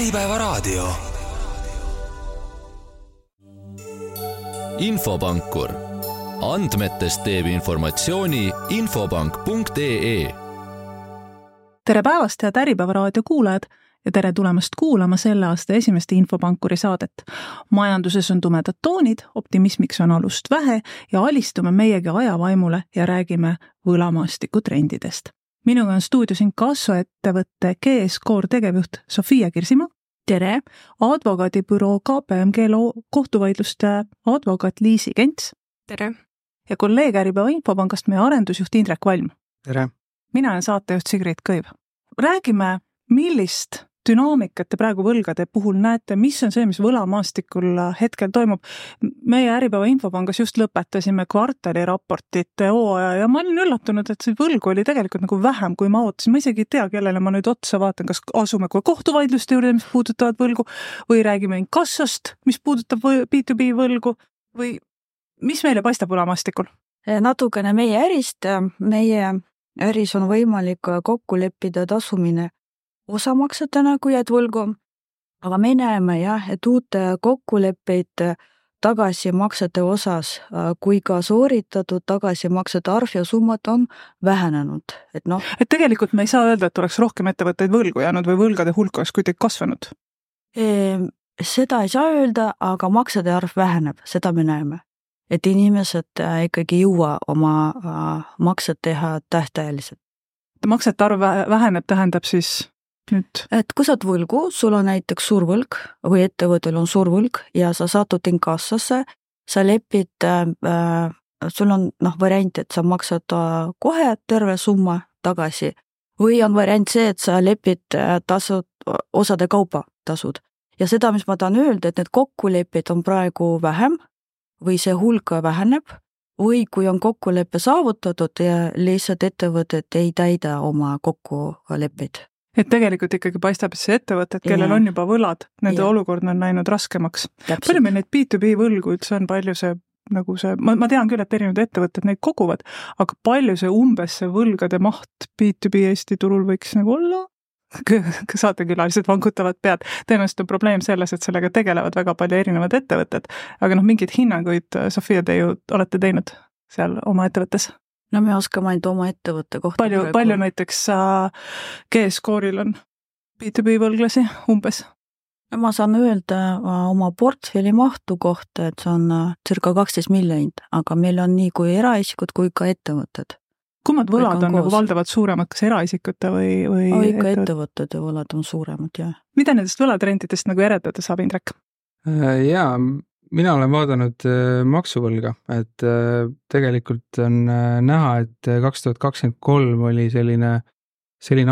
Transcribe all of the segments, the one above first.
Äripäevaraadio. Infopankur. Andmetest teeb informatsiooni infopank.ee. Tere päevast, head Äripäevaraadio kuulajad ja tere tulemast kuulama selle aasta esimest Infopankuri saadet. Majanduses on tumedad toonid, optimismiks on alust vähe ja alistume meiegi ajavaimule ja räägime võlamaastiku trendidest. Minuga on stuudios inkassoettevõtte GS-Core tegevjuht Sofia Kirsimaa. Tere! Advokaadibüroo KPMG kohtuvaidluste advokaat Liisi Kents. Tere! Ja kolleeg Äripäeva Infopangast meie arendusjuht Indrek Valm. Tere! Mina olen saatejuht Sigrid Kõiv. Räägime, millist dünaamikat te praegu võlgade puhul näete, mis on see, mis võlamaastikul hetkel toimub. Meie Äripäeva Infopangas just lõpetasime kvartaliraportite hooaja ja ma olin üllatunud, et see võlgu oli tegelikult nagu vähem, kui ma ootasin. Ma isegi ei tea, kellele ma nüüd otsa vaatan, kas asume kohtuvaidluste juurde, mis puudutavad võlgu, või räägime inkassost, mis puudutab B2B võlgu, või mis meile paistab võlamaastikul? Natukene meie ärist. Meie äris on võimalik kokku leppida tasumine osamaksetena, kui jääd võlgu, aga me näeme et uute kokkuleppeid tagasimaksete osas, kui ka sooritatud tagasimaksete arv ja summad on vähenenud. Et tegelikult me ei saa öelda, et oleks rohkem ettevõtteid võlgu jäänud või võlgade hulk oleks kuidagi kasvanud? Seda ei saa öelda, aga maksede arv väheneb, seda me näeme. Et inimesed ikkagi jõua oma maksed teha tähtajaliselt. Maksete arv väheneb tähendab siis nüüd? Et kui saad võlgu, sul on näiteks suur võlg või ettevõttel on suur võlg ja sa satud inkassosse, sa lepid, sul on variant, et sa maksad kohe terve summa tagasi või on variant see, et sa lepid tasud, osade kaupa tasud. Ja seda, mis ma tahan öelda, et need kokkulepid on praegu vähem või see hulk väheneb või kui on kokkuleppe saavutatud ja lihtsalt ettevõtted ei täida oma kokkuleppeid. Et tegelikult ikkagi paistab, et see ettevõtted, kellel on juba võlad, nende olukord on läinud raskemaks. Täpselt. Palju meil neid B2B võlgu üldse on, palju see, ma tean küll, et erinevad ettevõtted neid koguvad, aga palju see umbes see võlgade maht B2B Eesti turul võiks olla? Saatekülalised vangutavad pead. Tõenäoliselt on probleem selles, et sellega tegelevad väga palju erinevad ettevõtted, aga mingid hinnanguid, Sofia, te ju olete teinud seal oma ettevõttes? Me oskame ainult oma ettevõtte kohta. Palju näiteks GS-Core'il on B2B võlglasi umbes? Ma saan öelda oma portfelli mahtu kohta, et see on circa 12 miljonit, aga meil on nii kui eraisikud kui ka ettevõtted. Kummad võlad on valdavalt suuremad, kas eraisikute või ikka ettevõtted ja võlad on suuremad, jah. Mida nendest võlatrendidest järeldada saab, Indrek? Jaa, mina olen vaadanud maksuvõlga, et tegelikult on näha, et 2023 oli selline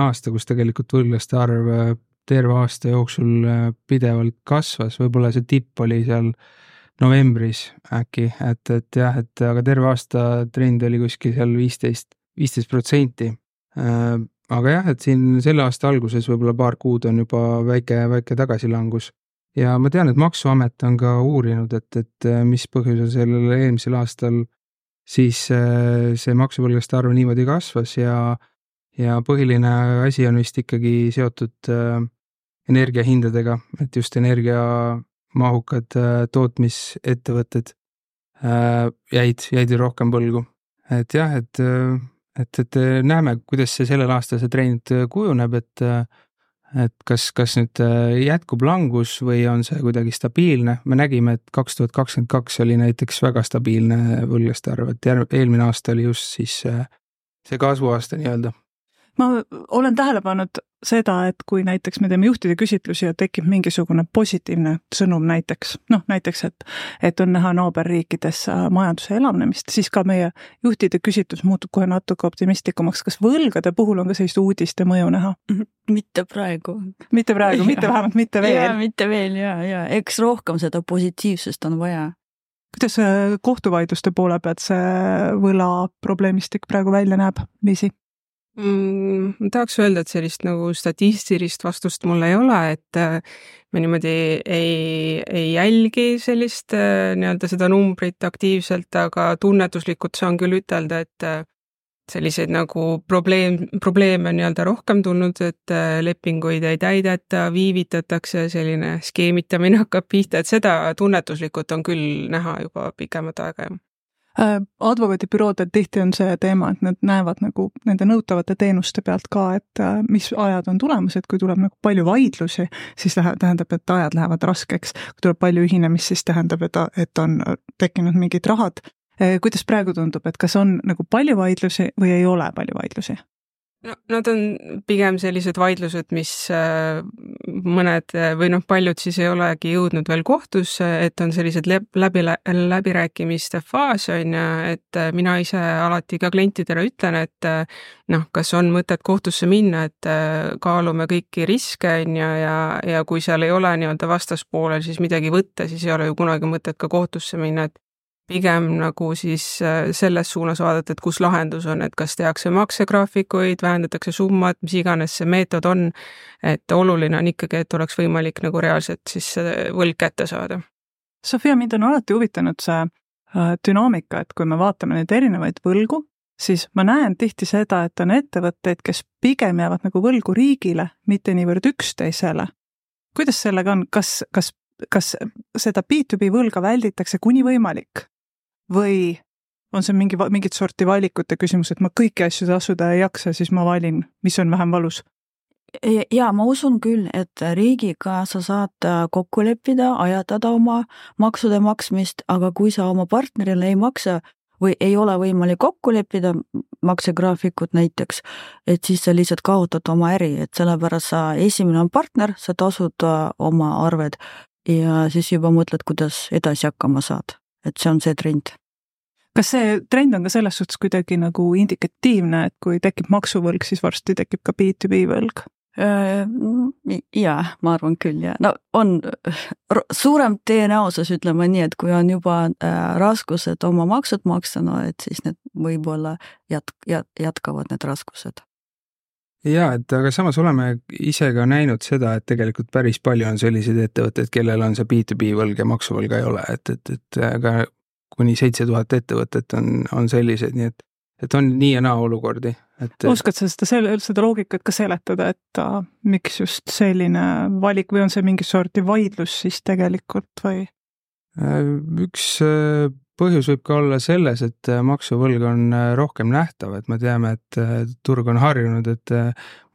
aasta, kus tegelikult võlglaste arv terve aasta jooksul pidevalt kasvas, võib-olla see tipp oli seal novembris äkki, aga terve aasta trend oli kuskil seal 15%. Aga et siin selle aasta alguses võib-olla paar kuud on juba väike tagasilangus. Ja ma tean, et Maksuamet on ka uurinud, et mis põhjusel sellel eelmisel aastal siis see maksuvõlglaste arv niimoodi kasvas ja põhiline asi on vist ikkagi seotud energiahindadega, et just energiamahukad tootmisettevõtted jäid rohkem võlgu. Et näeme, kuidas see sellel aastal see trend kujuneb, et kas nüüd jätkub langus või on see kuidagi stabiilne. Me nägime, et 2022 oli näiteks väga stabiilne võlglaste arv, et eelmine aasta oli just siis see kasvuaasta nii-öelda. Ma olen tähele pannud seda, et kui näiteks me teeme juhtide küsitlusi ja tekib mingisugune positiivne sõnum näiteks, et on näha naaberriikides majanduse elavnemist, siis ka meie juhtide küsitlus muutub kohe natuke optimistlikumaks. Kas võlgade puhul on ka sellist uudiste mõju näha? Mitte praegu. Mitte vähemalt mitte veel. Ja, mitte veel, ja. Eks rohkem seda positiivsest on vaja. Kuidas kohtuvaidluste poole pealt see võla probleemistik praegu välja näeb, Liisi? Ma tahaks öelda, et sellist statistilist vastust mul ei ole, et me niimoodi ei jälgi sellist seda numbrit aktiivselt, aga tunnetuslikult saan küll ütelda, et selliseid nagu probleeme nii-öelda rohkem tulnud, et lepinguid ei täideta, viivitatakse, selline skeemitamine hakkab pihta, et seda tunnetuslikult on küll näha juba pikemat aega. Advokaadibüroodel tihti on see teema, et nad näevad nagu nende nõutavate teenuste pealt ka, et mis ajad on tulemas, et kui tuleb nagu palju vaidlusi, siis tähendab, et ajad lähevad raskeks. Kui tuleb palju ühinemist, siis tähendab, et on tekkinud mingid rahad. Kuidas praegu tundub, et kas on nagu palju vaidlusi või ei ole palju vaidlusi? No, nad on pigem sellised vaidlused, mis mõned või paljud siis ei olegi jõudnud veel kohtusse, et on sellised läbirääkimiste faas on ja et mina ise alati ka klientidele ütlen, et kas on mõtet kohtusse minna, et kaalume kõiki riske ja kui seal ei ole nii-öelda vastaspoolel siis midagi võtta, siis ei ole ju kunagi mõtet ka kohtusse minna, et pigem nagu siis selles suunas vaadata, et kus lahendus on, et kas tehakse maksegraafikuid, vähendatakse summat, mis iganes see meetod on, et oluline on ikkagi, et oleks võimalik nagu reaalselt siis võlg kätte saada. Sofia, mind on alati huvitanud see dünaamika, et kui me vaatame neid erinevaid võlgu, siis ma näen tihti seda, et on ettevõtteid, kes pigem jäävad nagu võlgu riigile, mitte niivõrd üksteisele. Kuidas sellega on? Kas seda B2B võlga välditakse kuni võimalik? Või on see mingit sorti valikute küsimus, et ma kõiki asju tasuda ei jaksa, siis ma valin, mis on vähem valus? Ja ma usun küll, et riigiga sa saad kokku leppida, ajatada oma maksude maksmist, aga kui sa oma partnerile ei maksa või ei ole võimalik kokku leppida maksegraafikut näiteks, et siis sa lihtsalt kaotad oma äri, et sellepärast sa esimene on partner, sa tasud oma arved ja siis juba mõtled, kuidas edasi hakkama saad. Et see on see trend. Kas see trend on ka selles suhtes kuidagi nagu indikatiivne, et kui tekib maksuvõlg, siis varsti tekib ka B2B võlg? Jaa, ma arvan küll, ja. No on suurem tõenäosus, ütleme nii, et kui on juba raskused oma maksud maksta, no et siis need võib-olla jätkavad need raskused. Jaa, et aga samas oleme ise ka näinud seda, et tegelikult päris palju on selliseid ettevõtteid, kellel on see B2B võlg ja maksuvõlga ei ole, et ka kuni 7000 ettevõtet on sellised, nii et on nii ja naa olukordi. Oskad sa seda loogikat ka seletada, et miks just selline valik või on see mingi sorti vaidlus siis tegelikult või? Üks põhjus võib ka olla selles, et maksuvõlg on rohkem nähtav, et me teame, et turg on harjunud, et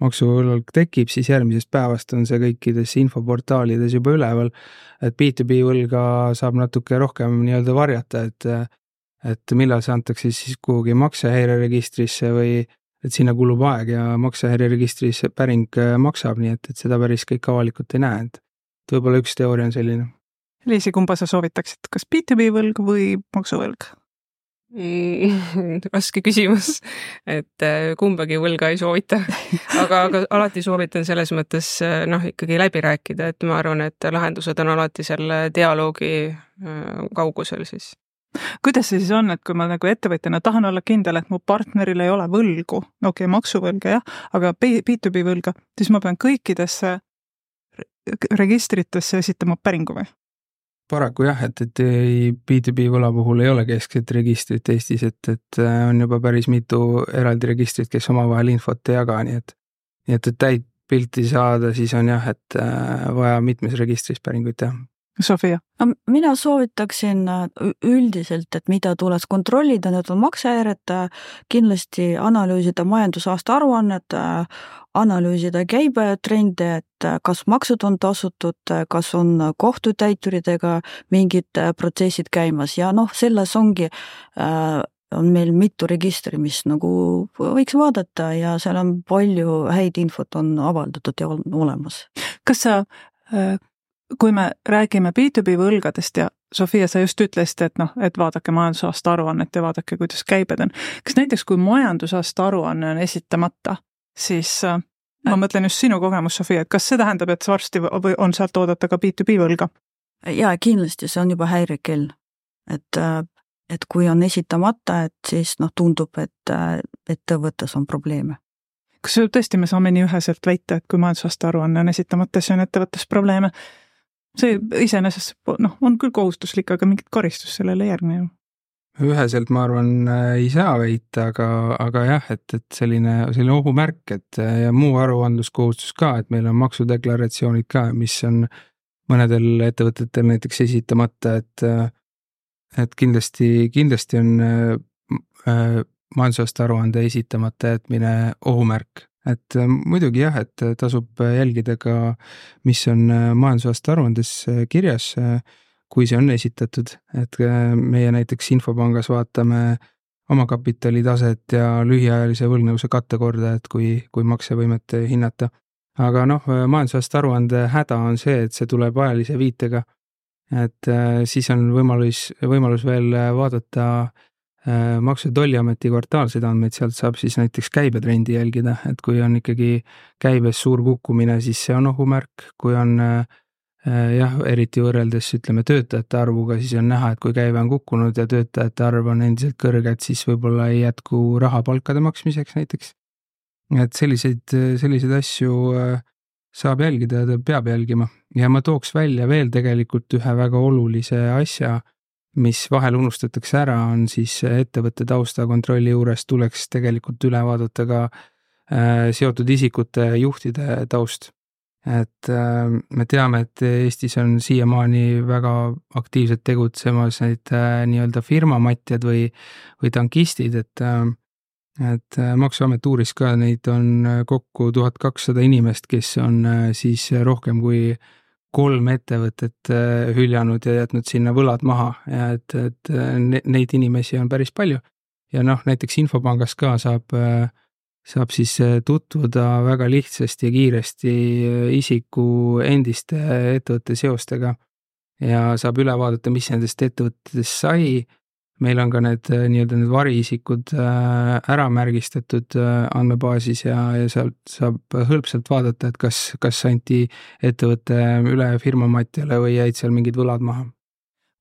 maksuvõlg tekib, siis järgmisest päevast on see kõikides infoportaalides juba üleval, et B2B võlga saab natuke rohkem nii-öelda varjata, et millal see antakse siis kuhugi maksehäireregistrisse või et sinna kulub aeg ja maksehäireregistris päring maksab, nii et seda päris kõik avalikult ei näe, et võib-olla üks teooria on selline. Liisi, kumba sa soovitaksid, kas B2B võlg või maksuvõlg? Raske küsimus, et kumbagi võlga ei soovita, aga alati soovitan selles mõttes ikkagi läbi rääkida, et ma arvan, et lahendused on alati selle dialoogi kaugusel siis. Kuidas see siis on, et kui ma nagu ettevõtjana tahan olla kindel, et mu partneril ei ole võlgu, maksuvõlga jah, aga B2B võlga, siis ma pean kõikidesse registritesse esitama päringu või? Paraku jah, et B2B võla puhul ei ole keskset registrit Eestis, et on juba päris mitu eraldi registrit, kes omavahel infot ei jaga, nii et täit pilti saada, siis on jah, et vaja mitmes registris päringuid teha. Sofia? Mina soovitaksin üldiselt, et mida tuleks kontrollida, need on maksehäired, kindlasti analüüsida majandusaasta aruannet, analüüsida käibetrende, et kas maksud on tasutud, kas on kohtutäituridega mingid protsessid käimas ja selles ongi on meil mitu registri, mis nagu võiks vaadata ja seal on palju häid infot on avaldatud ja on olemas. Kas sa kui me räägime B2B võlgadest ja Sofia, sa just ütlesid, et vaadake majandusaasta aruannet ja vaadake, kuidas käibed on. Kas näiteks, kui majandusaasta aruanne on esitamata, siis ma mõtlen just sinu kogemus, Sofia, et kas see tähendab, et varsti on sealt oodata ka B2B võlga? Jaa, kindlasti see on juba häirekell. Et kui on esitamata, et siis tundub, et ettevõttes on probleeme. Kas tõesti me saame nii üheselt väita, et kui majandusaasta aruanne on esitamata, siis on ettevõttes probleeme? See iseenesest on küll kohustuslik, aga mingit karistust sellele järgne ju. üheselt ma arvan ei saa väita, aga jah, et selline ohumärk, et ja muu aruandluskohustus ka, et meil on maksudeklaratsioonid ka, mis on mõnedel ettevõtetel näiteks esitamata, et kindlasti on majandusaasta aruande esitamata jätmine ohumärk. Et muidugi jah, et tasub jälgida ka, mis on majandusaasta aruandes kirjas, kui see on esitatud, et meie näiteks Infopangas vaatame omakapitali taset ja lühiajalise võlgnevuse kattekorda, et kui maksevõimet hinnata. Aga majandusaasta aruande häda on see, et see tuleb ajalise viitega, et siis on võimalus veel vaadata Maksu- ja Tolliameti kvartaalseid andmeid, sealt saab siis näiteks käibetrendi jälgida, et kui on ikkagi käibes suur kukkumine, siis see on ohumärk, kui on eriti võrreldes ütleme töötajate arvuga, siis on näha, et kui käive on kukkunud ja töötajate arv on endiselt kõrged, siis võib-olla ei jätku raha palkade maksmiseks näiteks. Et selliseid asju saab jälgida ja peab jälgima. Ja ma tooks välja veel tegelikult ühe väga olulise asja, mis vahel unustatakse ära, on siis ettevõtte taustakontrolli juures tuleks tegelikult üle vaadata ka seotud isikute juhtide taust. Et me teame, et Eestis on siiamaani väga aktiivselt tegutsemas neid nii-öelda firmamatjad või tankistid, et Maksuamet uuris ka, neid on kokku 1200 inimest, kes on siis rohkem kui 3 ettevõtet hüljanud ja jätnud sinna võlad maha ja et neid inimesi on päris palju. Ja näiteks Infopangas ka saab siis tutvuda väga lihtsasti ja kiiresti isiku endiste ettevõtte seostega ja saab üle vaadata, mis nendest ettevõttest sai. Meil on ka need nii-öelda need variisikud ära märgistatud andmebaasis ja sealt saab hõlpsalt vaadata, et kas anti ettevõtte üle firmamatjale või jäid seal mingid võlad maha.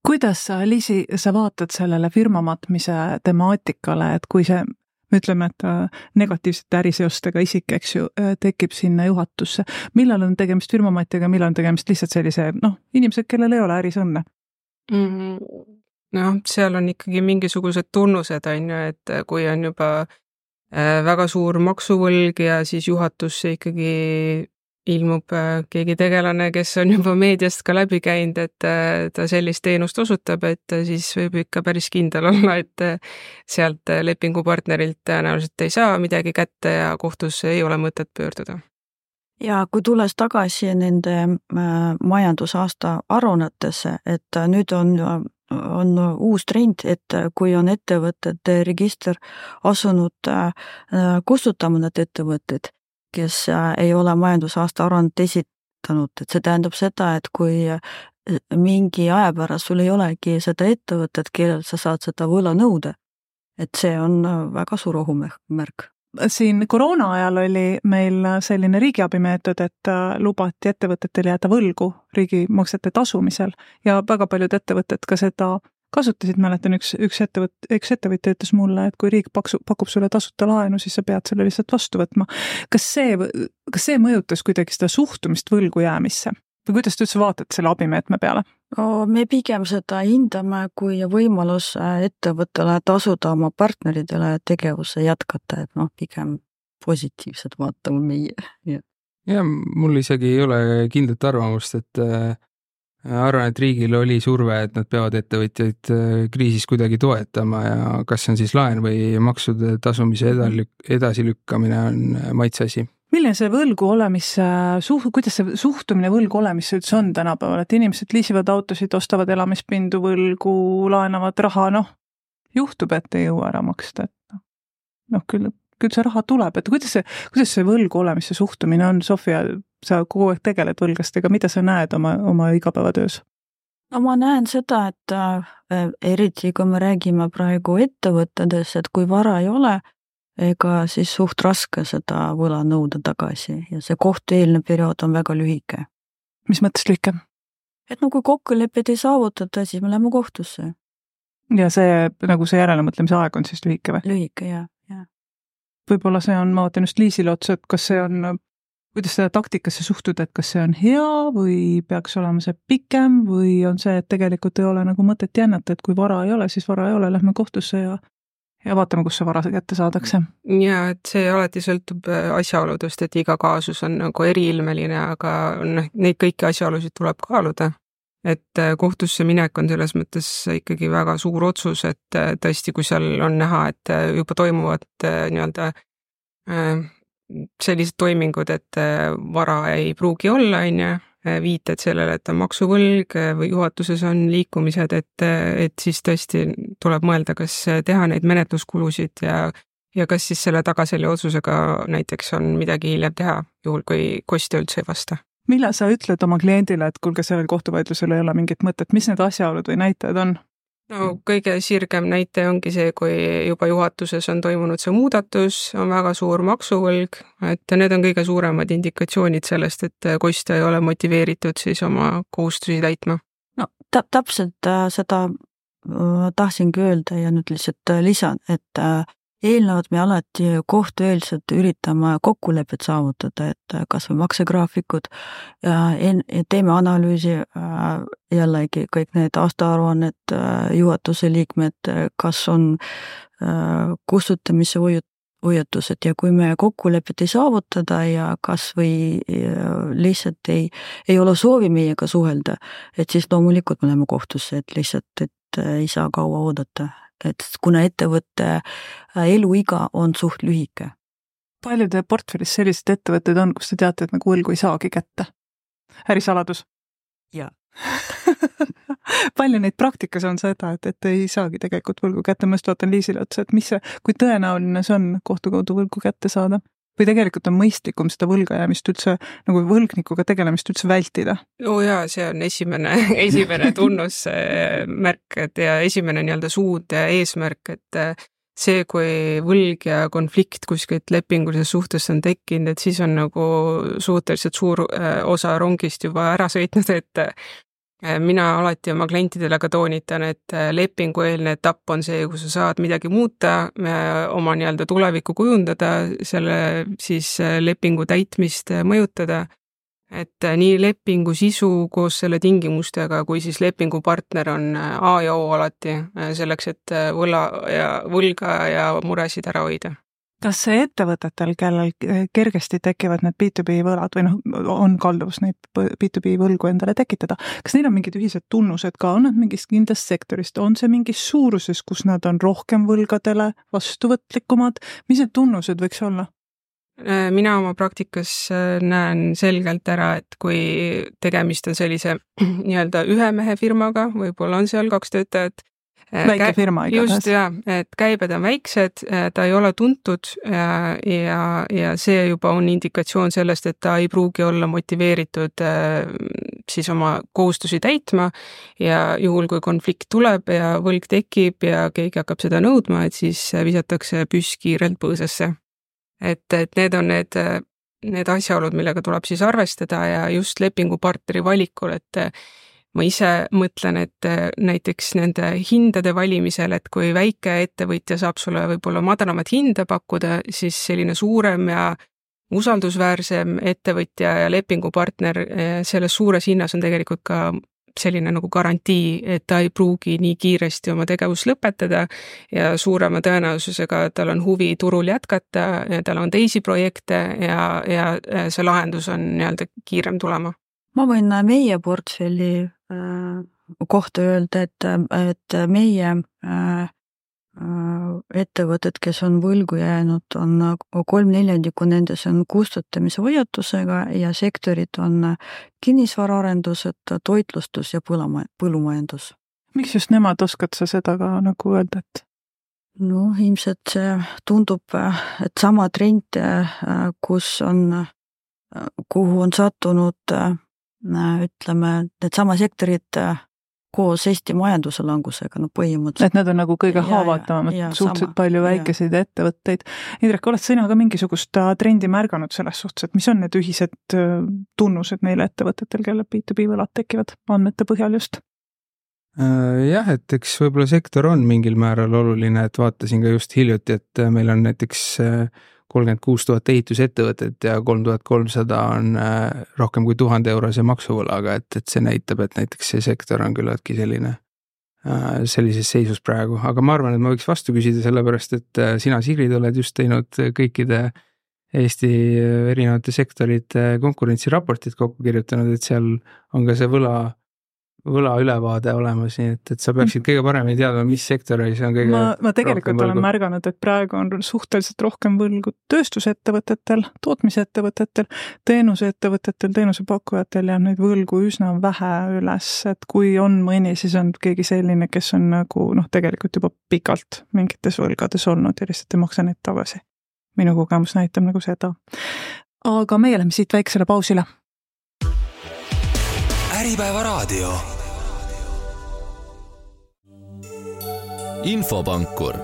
Kuidas sa, Liisi, sa vaatad sellele firmamatmise temaatikale, et kui see, me ütleme, et negatiivsete äriseostega isik, eks ju, tekib sinna juhatusse. Millal on tegemist firmamatjaga, millal on tegemist lihtsalt sellise, inimesed, kellel ei ole äris õnne? Seal on ikkagi mingisugused tunnused, on ju, et kui on juba väga suur maksuvõlg ja siis juhatusse ikkagi ilmub keegi tegelane, kes on juba meediast ka läbi käinud, et ta sellist teenust osutab, et siis võib ikka päris kindel olla, et sealt lepingupartnerilt tõenäoliselt ei saa midagi kätte ja kohtusse ei ole mõtet pöörduda. Ja kui tulles tagasi nende majandusaasta aruannetesse, et nüüd on uus trend, et kui on ettevõtete register asunud kustutama need ettevõtted, kes ei ole majandusaasta aruannet esitanud, et see tähendab seda, et kui mingi aja pärast sul ei olegi seda ettevõtet, kellel sa saad seda võla nõuda, et see on väga suur ohumärk. Siin koroona ajal oli meil selline riigiabimeetod, et lubati ettevõtetel jääda võlgu riigimaksete tasumisel ja väga paljud ettevõtted ka seda kasutasid. Mäletan, üks ettevõtja ütles mulle, et kui riik pakub sulle tasuta laenu, siis sa pead selle lihtsalt vastu võtma. Kas see mõjutas kuidagi seda suhtumist võlgu jäämisse? Või kuidas te üldse vaatate selle abimeetme peale? Me pigem seda hindame kui võimalus ettevõttele tasuda oma partneridele tegevuse jätkata, et pigem positiivselt vaatame meie. Ja mul isegi ei ole kindlat arvamust, et arvan, et riigil oli surve, et nad peavad ettevõtjaid kriisis kuidagi toetama ja kas on siis laen või maksude tasumise edasilükkamine on maitseasi. Milline see võlgu olemise, kuidas see suhtumine võlgu olemisse üldse on tänapäeval, et inimesed liisivad autosid, ostavad elamispindu võlgu, laenavad raha, juhtub, et ei jõua ära maksta, et küll see raha tuleb, et kuidas see võlgu olemisse suhtumine on? Sofia, sa kogu aeg tegeled võlgastega, mida sa näed oma igapäevatöös? Ma näen seda, et eriti kui me räägime praegu ettevõttedes, et kui vara ei ole, ega siis suht raske seda võla nõuda tagasi ja see kohtueelne periood on väga lühike. Mis mõttes lühike? Et kui kokkulepped ei saavutada, siis me läheme kohtusse. Ja see järelemõtlemise aeg on siis lühike või? Lühike, jah. Võib-olla see on, ma vaatan just Liisile otsa, et kas see on kuidas seda taktikasse suhtuda, et kas see on hea või peaks olema see pikem või on see, et tegelikult ei ole nagu mõtet jännata, et kui vara ei ole, siis vara ei ole, lähme kohtusse ja vaatame, kus see vara kätte saadakse. Ja et see alati sõltub asjaoludest, et iga kaasus on nagu eriilmeline, aga neid kõiki asjaolusid tuleb kaaluda. Et kohtusse minek on selles mõttes ikkagi väga suur otsus, et tõesti, kui seal on näha, et juba toimuvad nii-öelda sellised toimingud, et vara ei pruugi olla, viited sellele, et on maksuvõlg või juhatuses on liikumised, et siis tõesti tuleb mõelda, kas teha neid menetluskulusid ja kas siis selle tagaselja otsusega näiteks on midagi hiljem teha, juhul kui kostja üldse ei vasta. Millal sa ütled oma kliendile, et kuulge, sellel kohtuvaidlusel ei ole mingit mõtet, mis need asjaolud või näitajad on? No kõige sirgem näite ongi see, kui juba juhatuses on toimunud see muudatus, on väga suur maksuvõlg, et need on kõige suuremad indikatsioonid sellest, et kostja ei ole motiveeritud siis oma kohustusi täitma. No täpselt seda tahtsingi öelda ja nüüd lihtsalt lisan, et eelnevad me alati kohtueelselt üritame kokkulepet saavutada, et kas või maksegraafikud, teeme analüüsi, jällegi kõik need aastaaruanned, juhatuse liikmed, kas on kustutamise hoiatused ja kui me kokkulepet ei saavutada ja kas või lihtsalt ei ole soovi meiega suhelda, et siis loomulikult me läheme kohtusse, et lihtsalt ei saa kaua oodata. Et kuna ettevõtte eluiga on suht lühike. Palju teie portfellis sellised ettevõtted on, kus te teate, et nagu võlgu ei saagi kätte? Ärisaladus? Jaa. Palju neid praktikas on seda, et ei saagi tegelikult võlgu kätte, ma just vaatan Liisile otsa, et kui tõenäoline see on kohtu kaudu võlgu kätte saada? Või tegelikult on mõistlikum seda võlgajäämist üldse, nagu võlgnikuga tegelemist üldse vältida? Jaa, see on esimene tunnusmärk, ja esimene nii-öelda suund ja eesmärk, et see, kui võlg ja konflikt kuskilt lepingulises suhtes on tekkinud, et siis on nagu suhteliselt suur osa rongist juba ära sõitnud, et mina alati oma klientidele ka toonitan, et lepingueelne etapp on see, kus sa saad midagi muuta, oma nii-öelda tulevikku kujundada, selle siis lepingu täitmist mõjutada, et nii lepingu sisu koos selle tingimustega, kui siis lepingupartner on A ja O alati selleks, et võlga ja muresid ära hoida. Kas see ettevõtetel, kellel kergesti tekivad need B2B võlad või on kalduvus neid B2B võlgu endale tekitada, kas neil on mingid ühised tunnused ka, on nad mingist kindlast sektorist, on see mingis suuruses, kus nad on rohkem võlgadele vastuvõtlikumad, mis need tunnused võiks olla? Mina oma praktikas näen selgelt ära, et kui tegemist on sellise nii-öelda ühe mehe firmaga, võib-olla on seal 2 töötajat, väike firma igatahes. Just, jah, et käibed on väiksed, ta ei ole tuntud ja see juba on indikatsioon sellest, et ta ei pruugi olla motiveeritud siis oma kohustusi täitma ja juhul, kui konflikt tuleb ja võlg tekib ja keegi hakkab seda nõudma, et siis visatakse püss kiirelt põõsasse. Et need on need asjaolud, millega tuleb siis arvestada ja just lepingupartneri valikul, et ma ise mõtlen, et näiteks nende hindade valimisel, et kui väike ettevõtja saab sulle võib-olla madalamat hinda pakkuda, siis selline suurem ja usaldusväärsem ettevõtja ja lepingupartner selles suures hinnas on tegelikult ka selline nagu garantii, et ta ei pruugi nii kiiresti oma tegevust lõpetada ja suurema tõenäosusega tal on huvi turul jätkata ja tal on teisi projekte ja see lahendus on nii-öelda kiirem tulema. Ma võin meie portfelli kohta öelda, et meie ettevõtted, kes on võlgu jäänud, on 3/4 nendes on kustutamise hoiatusega ja sektorid on kinnisvaraarendused, toitlustus ja põllumajandus. Miks just nemad, oskad sa seda ka nagu öelda, et? No ilmselt see tundub, et sama trend, kuhu on sattunud, ütleme, need sama sektorid koos Eesti majanduse langusega, põhimõtteliselt. Et need on nagu kõige haavatavamad, suhteliselt palju väikeseid ettevõtteid. Indrek, oled sina ka mingisugust trendi märganud selles suhtes, et mis on need ühised tunnused neile ettevõtetel, kelle B2B võlad tekivad andmete põhjal just? Jah, et eks võib-olla sektor on mingil määral oluline, et vaatasin ka just hiljuti, et meil on näiteks 36 000 ehitusettevõtet ja 3300 on rohkem kui 1000 eurose maksuvõlaga, et see näitab, et näiteks see sektor on küllaltki sellises seisus praegu, aga ma arvan, et ma võiks vastu küsida, sellepärast et sina, Sigrid, oled just teinud kõikide Eesti erinevate sektorite konkurentsiraportid kokku kirjutanud, et seal on ka see võla ülevaade olemas, nii et sa peaksid kõige paremini teadma, mis sektoris on kõige ma tegelikult olen märganud, et praegu on suhteliselt rohkem võlgu tööstusettevõtetel, tootmisettevõtetel, teenuseettevõtetel, teenusepakkujatel ja neid võlgu üsna vähe üles, et kui on mõni, siis on keegi selline, kes on nagu tegelikult juba pikalt mingites võlgades olnud ja lihtsalt ei maksa neid tagasi. Minu kogemus näitab nagu seda. Aga meie lähme siit väiksele pausile. Äripäeva raadio. Infopankur.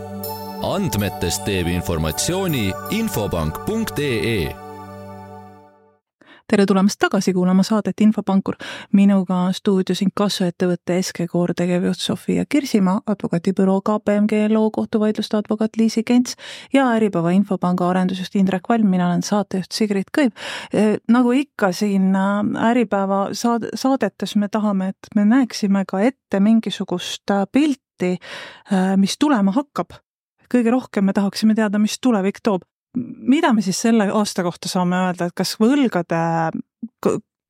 Andmetest teeb informatsiooni infopank.ee. Tere tulemast tagasi kuulama saadet Infopankur. Minuga stuudios inkassoettevõtte SG-Core tegevjuht Sofia Kirsimaa, advokaatibüroo KPMG LO kohtuvaidluste advokaat Liisi Kents ja Äripäeva Infopanga arendusjuht Indrek Valm, mina olen saatejuht Sigrid Kõiv. Nagu ikka siin Äripäeva saadetes me tahame, et me näeksime ka ette mingisugust pilti, mis tulema hakkab. Kõige rohkem me tahaksime teada, mis tulevik toob. Mida me siis selle aasta kohta saame öelda, et kas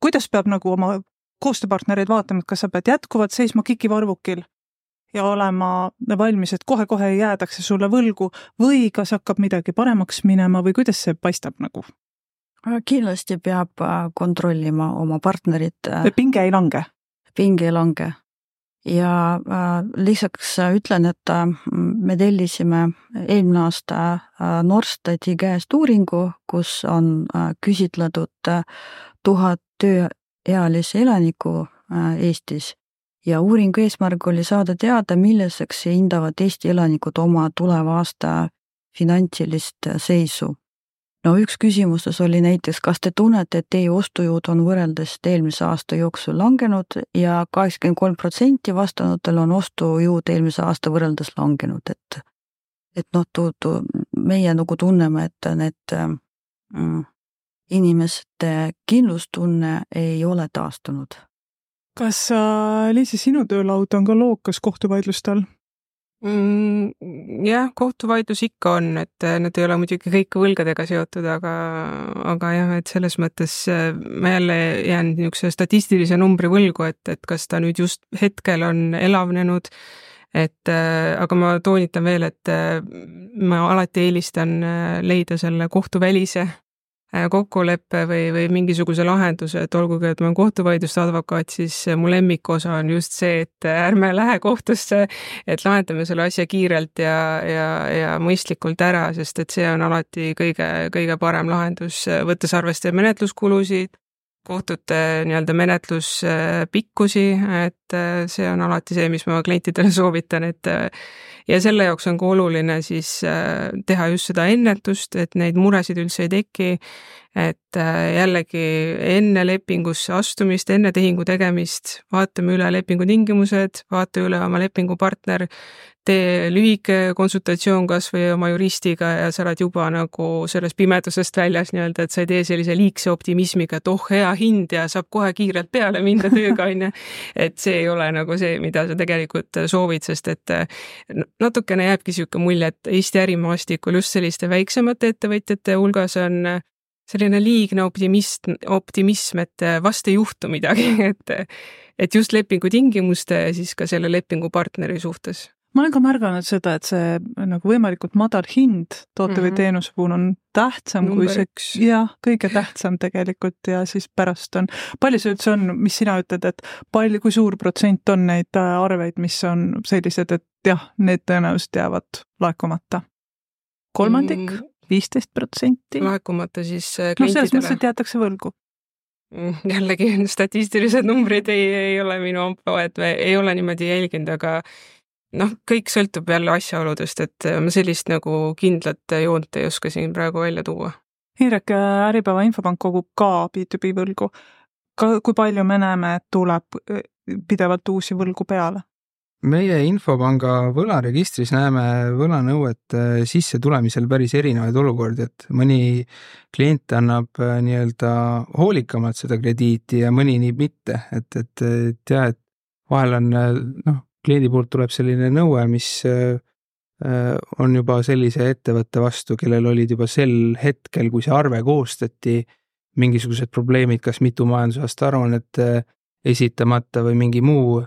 kuidas peab nagu oma koostööpartnereid vaatama, et kas sa pead jätkuvalt seisma kikivarvukil ja olema valmis, et kohe-kohe jäädakse sulle võlgu või kas hakkab midagi paremaks minema või kuidas see paistab nagu? Kindlasti peab kontrollima oma partnerit. Pinge ei lange? Pinge ei lange. Ja lisaks ütlen, et me tellisime eelmine aasta Norstati käest uuringu, kus on küsitletud 1000 tööealise elaniku Eestis ja uuringu eesmärk oli saada teada, milliseks hindavad Eesti elanikud oma tuleva aasta finantsilist seisu. No üks küsimustes oli näiteks, kas te tunnete, et teie ostujõud on võrreldes eelmise aasta jooksul langenud ja 83% vastanutel on ostujõud eelmise aasta võrreldes langenud, et meie nagu tunneme, et need inimeste kindlustunne ei ole taastunud. Kas Liisi, sinu töölaud on ka lookas kohtuvaidlustel? Jah, kohtuvaidlus ikka on, et nad ei ole muidugi kõik võlgadega seotud, aga jah, et selles mõttes ma jälle jään niisuguse statistilise numbri võlgu, et kas ta nüüd just hetkel on elavnenud, aga ma toonitan veel, et ma alati eelistan leida selle kohtuvälise kokkuleppe või mingisuguse lahenduse, et olgugi, et ma olen kohtuvaidluste advokaat, siis mu lemmikosa on just see, et ärme lähe kohtusse, et lahendame selle asja kiirelt ja mõistlikult ära, sest et see on alati kõige parem lahendus, võttes arveste menetluskulusid, kohtute nii-öelda menetluspikkusi, et see on alati see, mis ma klientidele soovitan, ja selle jaoks on ka oluline siis teha just seda ennetust, et neid muresid üldse ei teki, et jällegi enne lepingusse astumist, enne tehingu tegemist, vaatame üle lepingu tingimused, vaata üle oma lepingupartner, tee lühike konsultatsioon kas või oma juristiga ja sa oled juba nagu sellest pimedusest väljas nii-öelda, et sa ei tee sellise liigse optimismiga, et hea hind ja saab kohe kiirelt peale minna tööga, et see ei ole nagu see, mida sa tegelikult soovid, sest et natukene jääbki siuke mulje, et Eesti ärimaastikul just selliste väiksemate ettevõtjate hulgas on selline liigne optimism, et vast ei juhtu midagi, et just lepingu tingimuste ja siis ka selle lepingupartneri suhtes. Ma olen ka märganud seda, et see nagu võimalikult madal hind toote või teenuse puhul on tähtsam kui see, kõige tähtsam tegelikult ja siis pärast on, palju see üldse on, mis sina ütled, et kui suur protsent on neid arveid, mis on sellised, et jah, need tõenäoliselt jäävad laekumata? Kolmandik? 15%? Laekumata siis klientidele? No selles mõttes, et jäetakse võlgu. Jällegi statistilised numbrid ei ole minu ampa, et ei ole niimoodi jälginud, aga kõik sõltub jälle asjaoludest, et ma sellist nagu kindlat joont ei oska siin praegu välja tuua. Indrek, Äripäeva Infopank kogub ka B2B võlgu. Kui palju me näeme, et tuleb pidevalt uusi võlgu peale? meie Infopanga võlaregistris näeme võlanõuete sisse tulemisel päris erinevaid olukordi, et mõni klient annab nii-öelda hoolikamalt seda krediiti ja mõni nii mitte, et vahel on, kliendi poolt tuleb selline nõue, mis on juba sellise ettevõtte vastu, kellel olid juba sel hetkel, kui see arve koostati, mingisugused probleemid, kas mitu majandusaasta aruannet esitamata või mingi muu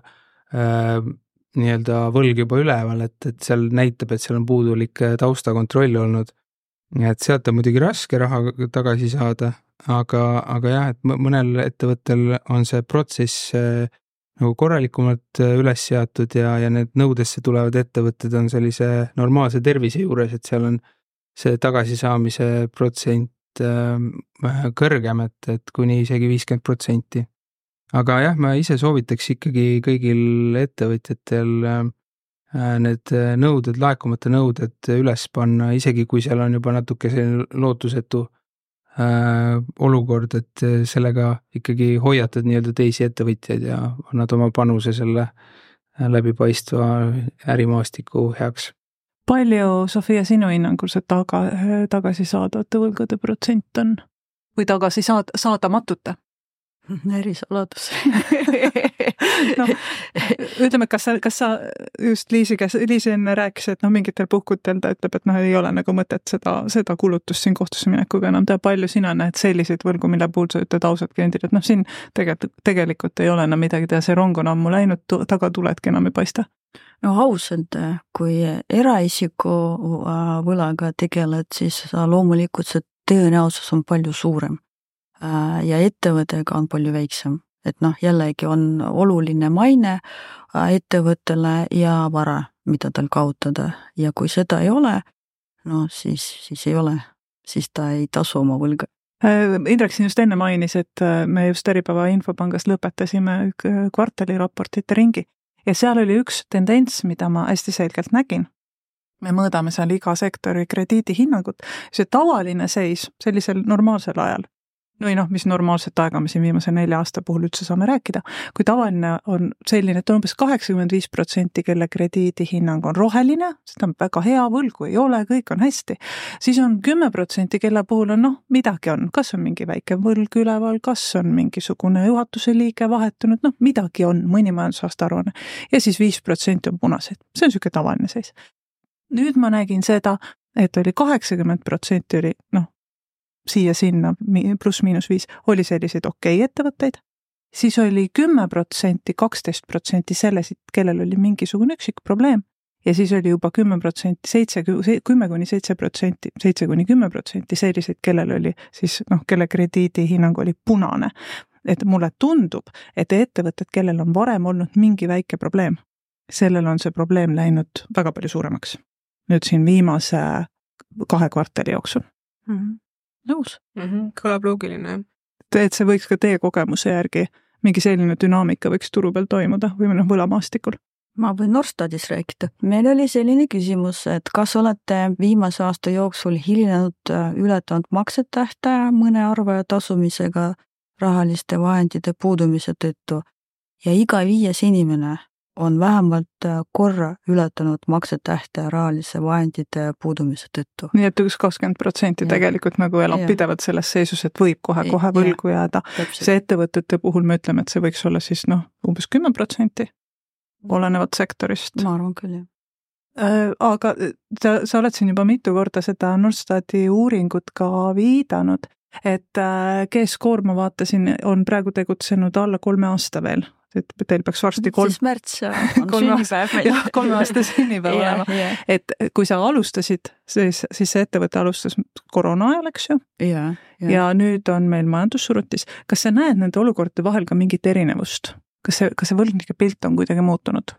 nii-öelda võlg juba üleval, et seal näitab, et seal on puudulik taustakontroll olnud. Et sealt on muidugi raske raha tagasi saada, aga jah, et mõnel ettevõttel on see protsess nagu korralikumalt üles seatud ja need nõudesse tulevad ettevõtted on sellise normaalse tervise juures, et seal on see tagasisaamise protsent kõrgem, et kuni isegi 50%. Aga jah, ma ise soovitaks ikkagi kõigil ettevõtjatel need nõuded, laekumata nõuded üles panna, isegi kui seal on juba natuke selline lootusetu olukord, et sellega ikkagi hoiatad nii-öelda teisi ettevõtjaid ja annad oma panuse selle läbipaistva ärimaastiku heaks. Palju, Sofia, sinu hinnangul see tagasi saadavate võlgade protsent on või tagasi saadamatute? Ärisaladus. No, ütleme, kas sa just Liisi enne rääkis, et mingitel puhkutel ta ütleb, et ei ole nagu mõtet seda kulutust siin kohtusse minekuga enam teha. Palju sina näed selliseid võlgu, mille puhul sa ütled ausad kliendid, et siin tegelikult ei ole enam midagi teha, see rong on ammu läinud, taga tuledki enam ei paista. No ausalt, kui eraisiku võlaga tegeled, siis loomulikult see tõenäosus on palju suurem. Ja ettevõttega on palju väiksem, et jällegi on oluline maine ettevõttele ja vara, mida tal kaotada ja kui seda ei ole, siis ei ole, siis ta ei tasu oma võlga. Indrek siin just enne mainis, et me just Äripäeva Infopangas lõpetasime kvartaliraportite ringi ja seal oli üks tendents, mida ma hästi selgelt nägin. Me mõõdame seal iga sektori krediidihinnangut, see tavaline seis sellisel normaalsel ajal, mis normaalset aega me siin viimase 4 aasta puhul üldse saame rääkida, kui tavaline on selline, et on umbes 85%, kelle krediidihinnang on roheline, seda on väga hea, võlgu ei ole, kõik on hästi, siis on 10%, kelle puhul on midagi on, kas on mingi väike võlg üleval, kas on mingisugune juhatuse liige vahetunud, midagi on, mõni majandusaasta aruanne ja siis 5% on punased, see on niisugune tavaline seis. Nüüd ma nägin seda, et oli 80% oli siia-sinna +-5 oli selliseid ettevõtteid, siis oli 10%, 12% selliseid, kellel oli mingisugune üksik probleem ja siis oli juba 10%, 10-7%, 7-10% selliseid, kellel oli siis, kelle krediidihinnang oli punane. Et mulle tundub, et ettevõtted, kellel on varem olnud mingi väike probleem, sellel on see probleem läinud väga palju suuremaks. Nüüd siin viimase 2 kvartali jooksul. Nõus. Kõlab loogiline. Et see võiks ka teie kogemuse järgi mingi selline dünaamika võiks turu peal toimuda või võlamaastikul? Ma võin Norstadis rääkida. Meil oli selline küsimus, et kas olete viimase aasta jooksul hilinenud ületanud maksetähtaja mõne arvaja tasumisega rahaliste vahendite puudumise tõttu ja iga 5 inimene on vähemalt korra ületanud maksetähtaja rahalise vahendite puudumise tõttu. Nii et 20% tegelikult elab pidevalt selles seisus, et võib kohe võlgu jääda. See ettevõtete puhul me ütleme, et see võiks olla siis umbes 10% olenevat sektorist. Ma arvan küll, jah. Aga sa oled siin juba mitu korda seda Norstati uuringut ka viidanud, et G-Score, ma vaatasin, on praegu tegutsenud alla 3 aasta veel. Et teil peaks varsti 3 märts on sünnipäev meil. Jah, 3 aasta sünnipäev olema. Et kui sa alustasid, siis see ettevõte alustas koroona ajal, eks ju? Ja nüüd on meil majandussurutis. Kas sa näed nende olukordade vahel ka mingit erinevust? Kas see võlgnike pilt on kuidagi muutunud?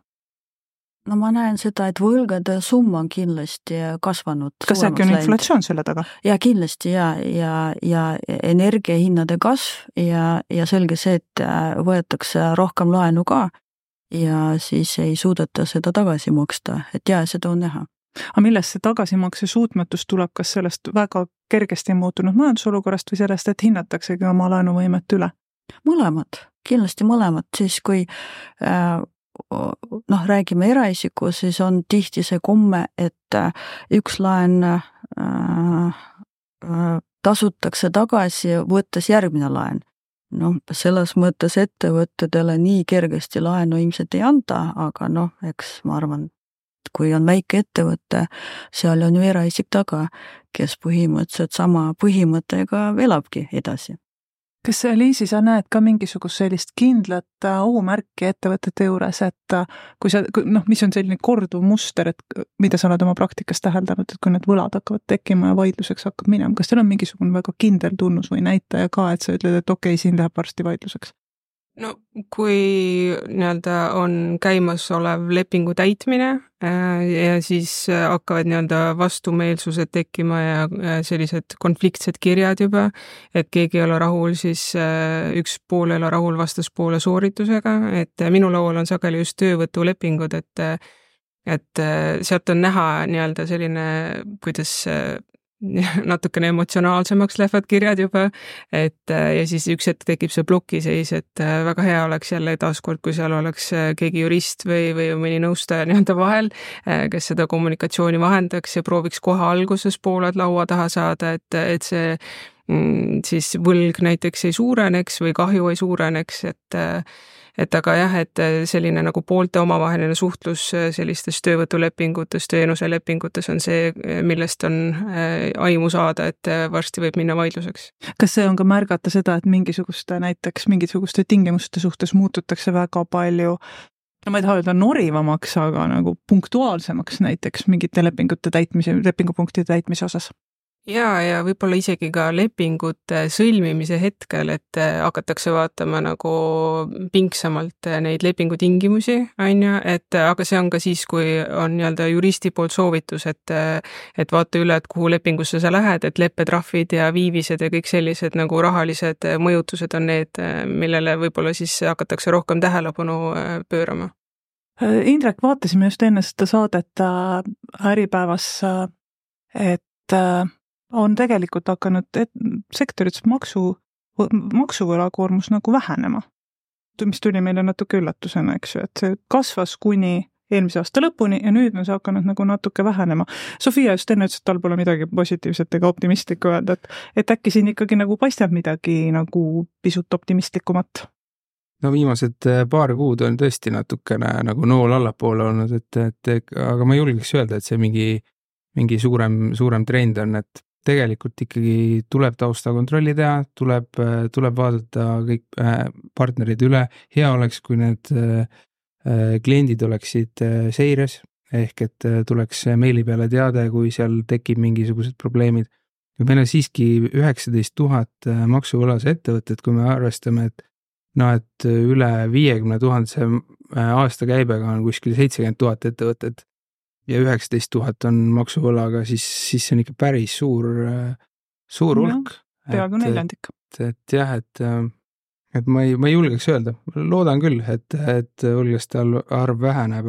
No ma näen seda, et võlgade summa on kindlasti kasvanud. Kas äkki on inflatsioon selle taga? Ja kindlasti ja energiahinnade kasv ja selge see, et võetakse rohkem laenu ka ja siis ei suudeta seda tagasi maksta, et seda on näha. Aga millest see tagasimakse suutmatus tuleb, kas sellest väga kergesti muutunud majandusolukorrast või sellest, et hinnataksegi oma laenuvõimet üle? Mõlemad, kindlasti mõlemad, siis kui räägime eraisiku, siis on tihti see komme, et üks laen tasutakse tagasi, võttes järgmine laen. Selles mõttes ettevõttedele nii kergesti laenu ilmselt ei anta, aga eks ma arvan, kui on väike ettevõte, seal on ju eraisik taga, kes põhimõtteliselt sama põhimõttega elabki edasi. Kas Liisi, sa näed ka mingisugust sellist kindlat ohumärki ettevõtete juures, et mis on selline korduv muster, et mida sa oled oma praktikas täheldanud, et kui need võlad hakkavad tekkima ja vaidluseks hakkab minema, kas teil on mingisugune väga kindel tunnus või näitaja ka, et sa ütled, et okei, siin läheb varsti vaidluseks? Kui on käimas olev lepingu täitmine ja siis hakkavad vastumeelsused tekkima ja sellised konfliktsed kirjad juba, et keegi ei ole rahul, siis üks pool ei ole rahul vastaspoole sooritusega, et minu laual on sageli just töövõtulepingud, et sealt on näha selline, kuidas natukene emotsionaalsemaks lähevad kirjad juba, ja siis üks hetk tekib see plokiseis, et väga hea oleks jälle taaskord, kui seal oleks keegi jurist või mõni nõustaja vahel, kes seda kommunikatsiooni vahendaks ja prooviks kohe alguses pooled laua taha saada, et see siis võlg näiteks ei suureneks või kahju ei suureneks, et aga jah, et selline nagu poolte omavaheline suhtlus sellistes töövõtulepingutes, teenuselepingutes on see, millest on aimu saada, et varsti võib minna vaidluseks. Kas see on ka märgata seda, et mingisuguste tingimuste suhtes muututakse väga palju, ma ei taha öelda norivamaks, aga nagu punktuaalsemaks näiteks mingite lepingupunktide täitmise osas? Ja võib-olla isegi ka lepingute sõlmimise hetkel, et hakatakse vaatama nagu pingsamalt neid lepingutingimusi, aga see on ka siis, kui on juristi poolt soovitus, et vaata üle, et kuhu lepingusse sa lähed, et leppetrahvid ja viivised ja kõik sellised nagu rahalised mõjutused on need, millele võib-olla siis hakatakse rohkem tähelepanu pöörama. Indrek, vaatasime just enne seda saadet Äripäevas, et on tegelikult hakanud sektorites maksuvõlakoormus nagu vähenema, mis tuli meile natuke üllatusena, eks ju, et see kasvas kuni eelmise aasta lõpuni ja nüüd on see hakanud nagu natuke vähenema. Sofia just enne ütles, et tal pole midagi positiivset ega optimistlikku öelda, et äkki siin ikkagi nagu paistab midagi nagu pisut optimistlikumat? Viimased paar kuud on tõesti natukene nagu nool allapoole olnud, aga ma julgeks öelda, et see mingi suurem trend on, et tegelikult ikkagi tuleb taustakontrolli teha, tuleb vaadata kõik partnerid üle, hea oleks, kui need kliendid oleksid seires, ehk et tuleks meili peale teade, kui seal tekib mingisugused probleemid. Meil on siiski 19 000 maksuvõlas ettevõtted, kui me arvestame, et üle 50 000 aasta käibega on kuskil 70 000 ettevõtted ja 19 000 on maksuvõlaga, siis see on ikka päris suur hulk. Peaaegu neljandik. Et jah, et ma ei julgeks öelda. Loodan küll, et hulgaste arv väheneb,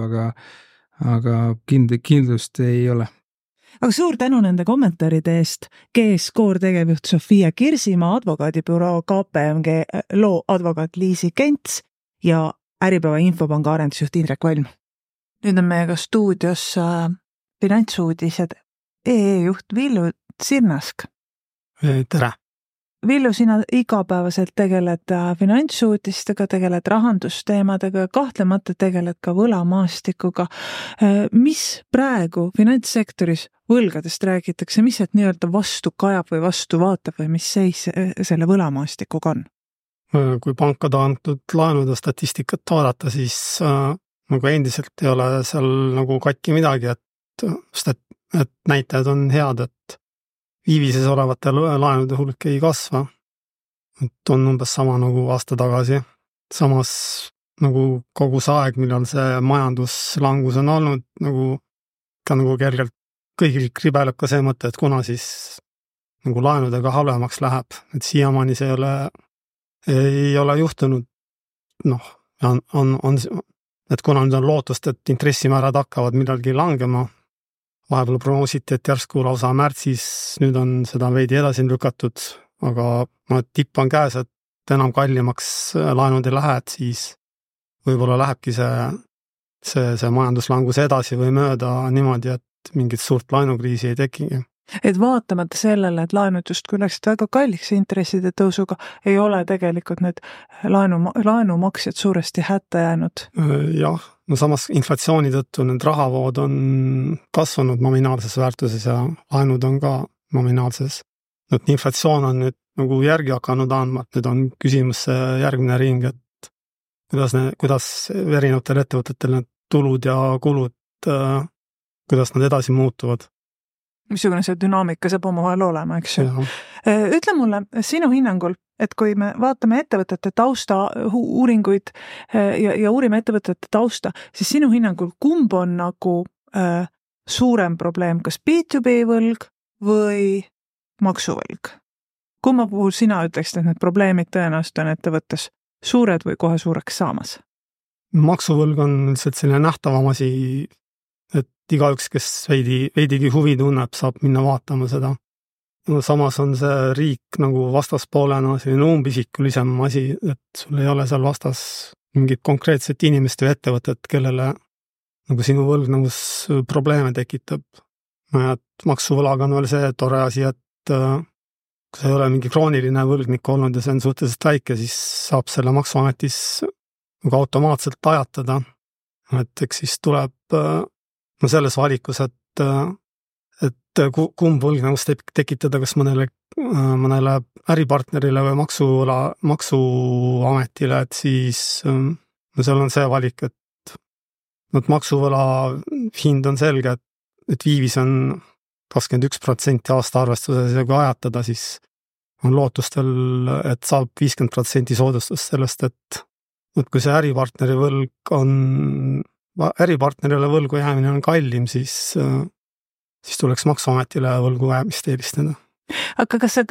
aga kindlust ei ole. Aga suur tänu nende kommentaaride eest. GS-Core tegevjuht Sofia Kirsimaa, advokaadibüroo KPMG loo advokaat Liisi Kents ja Äripäeva Infopanga arendusjuht Indrek Valm. Nüüd on meiega stuudios finantsuudised juht Villu Sirnask. Tere! Villu, sina igapäevaselt tegeled finantsuudistega, tegeled rahandusteemadega ja kahtlemata tegeled ka võlamaastikuga. Mis praegu finantssektoris võlgadest räägitakse, mis sealt nii-öelda vastu kajab või vastu vaatab või mis seis selle võlamaastikuga on? Kui pankade antud laenude statistikat vaadata, siis nagu endiselt ei ole seal nagu katki midagi, et näitajad on head, et viivises olevate laenude hulk ei kasva. Et on umbes sama nagu aasta tagasi. Samas nagu kogu see aeg, millal see majanduslangus on olnud, nagu kergelt kõigil kribeleb ka see mõte, et kuna siis nagu laenudega halvemaks läheb, et siiamaani see ei ole juhtunud. Et kuna nüüd on lootust, et intressimäärad hakkavad millalgi langema, vahepeal prognoositi, et järsku lausa märtsis, nüüd on seda veidi edasi lükatud, aga tipp on käes, et enam kallimaks laenud ei lähe, et siis võib-olla lähebki see see majanduslangus edasi või mööda niimoodi, et mingit suurt laenukriisi ei tekigi. Et vaatamata sellele, et laenud justkui läksid väga kalliks intresside tõusuga, ei ole tegelikult need laenumaksjad suuresti hätta jäänud. Jah, no samas inflatsiooni tõttu need rahavood on kasvanud nominaalses väärtuses ja laenud on ka nominaalses. Et inflatsioon on nüüd nagu järgi hakanud andma, et nüüd on küsimus järgmine ring, et kuidas erinevatel ettevõtetel need tulud ja kulud, kuidas nad edasi muutuvad. Missugune see dünaamika saab omavahel olema, eks ju. Ütle mulle sinu hinnangul, et kui me vaatame ettevõtete tausta uuringuid ja uurime ettevõtete tausta, siis sinu hinnangul kumb on nagu suurem probleem, kas B2B võlg või maksuvõlg? Kumma puhul sina ütleksid, et need probleemid tõenäoliselt on ettevõttes suured või kohe suureks saamas? Maksuvõlg on lihtsalt selline nähtavam asi, et igaüks, kes veidigi huvi tunneb, saab minna vaatama seda. No, samas on see riik nagu vastaspoolena selline umbisikulisem asi, et sul ei ole seal vastas mingit konkreetset inimest või ettevõtet, kellele nagu sinu võlgnevus probleeme tekitab. Et maksuvõlaga on veel see tore asi, et kui see ei ole mingi krooniline võlgnik olnud ja see on suhteliselt väike, siis saab selle maksuametis nagu automaatselt ajatada. Et eks siis tuleb selles valikus, et kumb võlgnevus tekitada, kas mõnele äripartnerile või maksuametile, et siis seal on see valik, et maksuvõla hind on selge, et viivis on 21% aasta arvestuses ja kui ajatada, siis on lootustel, et saab 50% soodustust sellest, et kui see äripartnerile võlgu jäämine on kallim, siis tuleks maksuametile võlgu jäämist eelistada. Aga kas on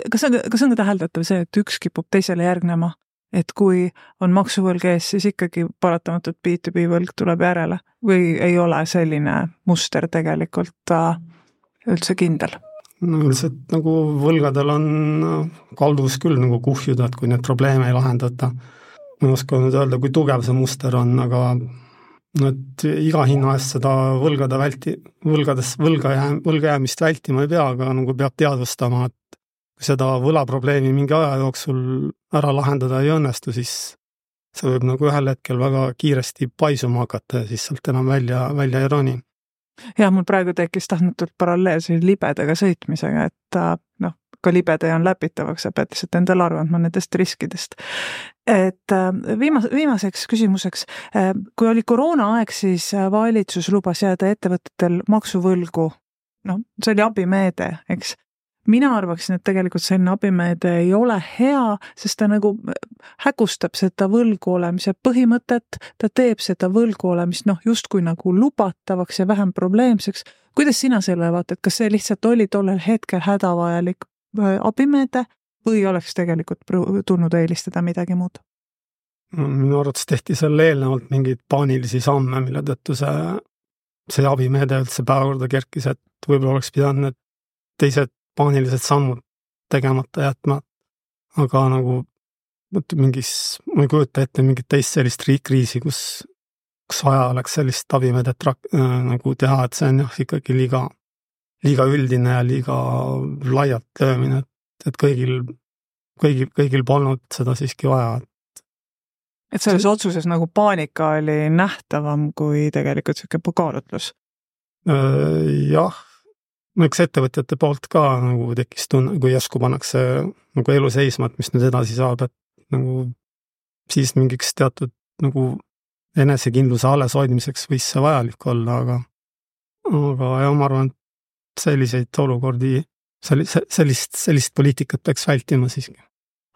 ka täheldatav see, et üks kipub teisele järgnema? Et kui on maksuvõlg ees, siis ikkagi paratamatult B2B võlg tuleb järele või ei ole selline muster tegelikult üldse kindel? No üldiselt nagu võlgadel on kalduvus küll nagu kuhjuda, et kui need probleeme ei lahendata. Ma ei oska nüüd öelda, kui tugev see muster on, aga et iga hinna eest seda võlga jäämist vältima ei pea, aga nagu peab teadvustama, et kui seda võlaprobleemi mingi aja jooksul ära lahendada ei õnnestu, siis see võib nagu ühel hetkel väga kiiresti paisuma hakata ja siis sealt enam välja ei roni. Ja mul praegu tekkis tahtmatult paralleelse libedaga sõitmisega, et ka libede on läpitavaks, sa pead lihtsalt endale aru andma nendest riskidest. Et viimaseks küsimuseks, kui oli koroonaaeg, siis valitsus lubas jääda ettevõtetel maksuvõlgu, see oli abimeede, eks. Mina arvaksin, et tegelikult selline abimeede ei ole hea, sest ta nagu hägustab seda võlgu olemise põhimõtet, ta teeb seda võlgu olemist justkui nagu lubatavaks ja vähem probleemseks. Kuidas sina selle vaatad, kas see lihtsalt oli tollel hetkel hädavajalik abimeede või oleks tegelikult tulnud eelistada midagi muud? Minu arvates tehti selle eelnevalt mingeid paanilisi samme, mille tõttu see abimeede üldse päevakorda kerkis, et võib-olla oleks pidanud need teised paanilised sammud tegemata jätma, aga nagu ma ei kujuta ette mingit teist sellist kriisi, kus vaja oleks sellist abimeedet nagu teha, et see on ikkagi liiga üldine ja liiga laialt löömine, et kõigil polnud seda siiski vaja. Et selles otsuses nagu paanika oli nähtavam kui tegelikult selline kaalutlus? Jah. Eks ettevõtjate poolt ka nagu tekkis tunne, kui järsku pannakse nagu elu seisma, et mis nüüd edasi saab, et nagu siis mingiks teatud nagu enesekindluse alles hoidmiseks võis see vajalik olla, aga ma arvan, et selliseid olukordi, sellist poliitikat peaks vältima siiski.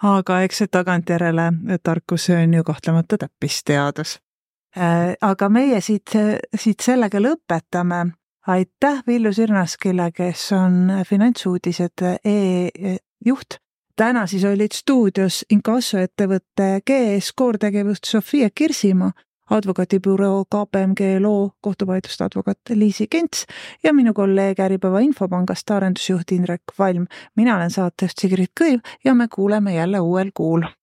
Aga eks see tagantjärele tarkus on ju kahtlemata täppisteadus. Aga meie siit sellega lõpetame. Aitäh Villu Sirnaskile, kes on finantsuudised juht. Täna siis olid stuudios inkassoettevõtte GS Core tegevust Sofia Kirsimaa, advokaadibüroo KPMG loo kohtuvaidluste advokaat Liisi Kents ja minu kolleeg Äripäeva Infopangast arendusjuht Indrek Valm. Mina olen saatejuht Sigrid Kõiv ja me kuuleme jälle uuel kuul.